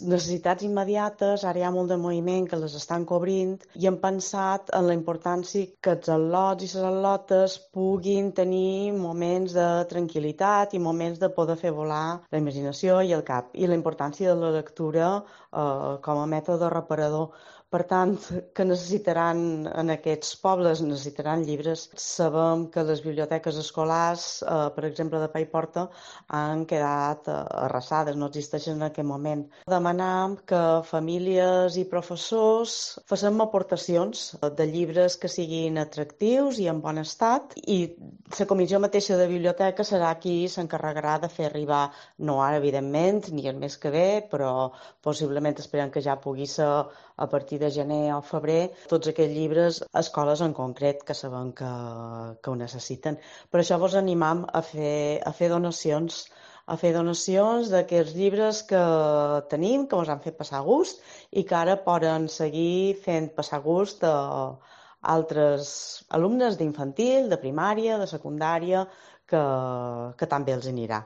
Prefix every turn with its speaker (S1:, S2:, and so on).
S1: necessitats immediates, ara hi ha molt de moviment que les estan cobrint i hem pensat en la importància que els al·lots i les al·lotes puguin tenir moments de tranquil·litat i moments de poder fer volar la imaginació i el cap, i la importància de la lectura com a mètode reparador. Per tant, que necessitaran en aquests pobles, necessitaran llibres. Sabem que les biblioteques escolars, per exemple, de Paiporta, han quedat arrasades, no existeixen en aquest moment. Demanam que famílies i professors facem aportacions de llibres que siguin atractius i en bon estat, i la comissió mateixa de biblioteca serà qui s'encarregarà de fer arribar, no ara, evidentment, ni el mes que ve, però possiblement esperem que ja pugui ser a partir de gener o febrer, tots aquests llibres a escoles en concret que sabem que ho necessiten. Per això vos animam a fer donacions d'aquests llibres que tenim, que ens han fet passar gust i que ara poden seguir fent passar gust a altres alumnes d'infantil, de primària, de secundària, que també els anirà.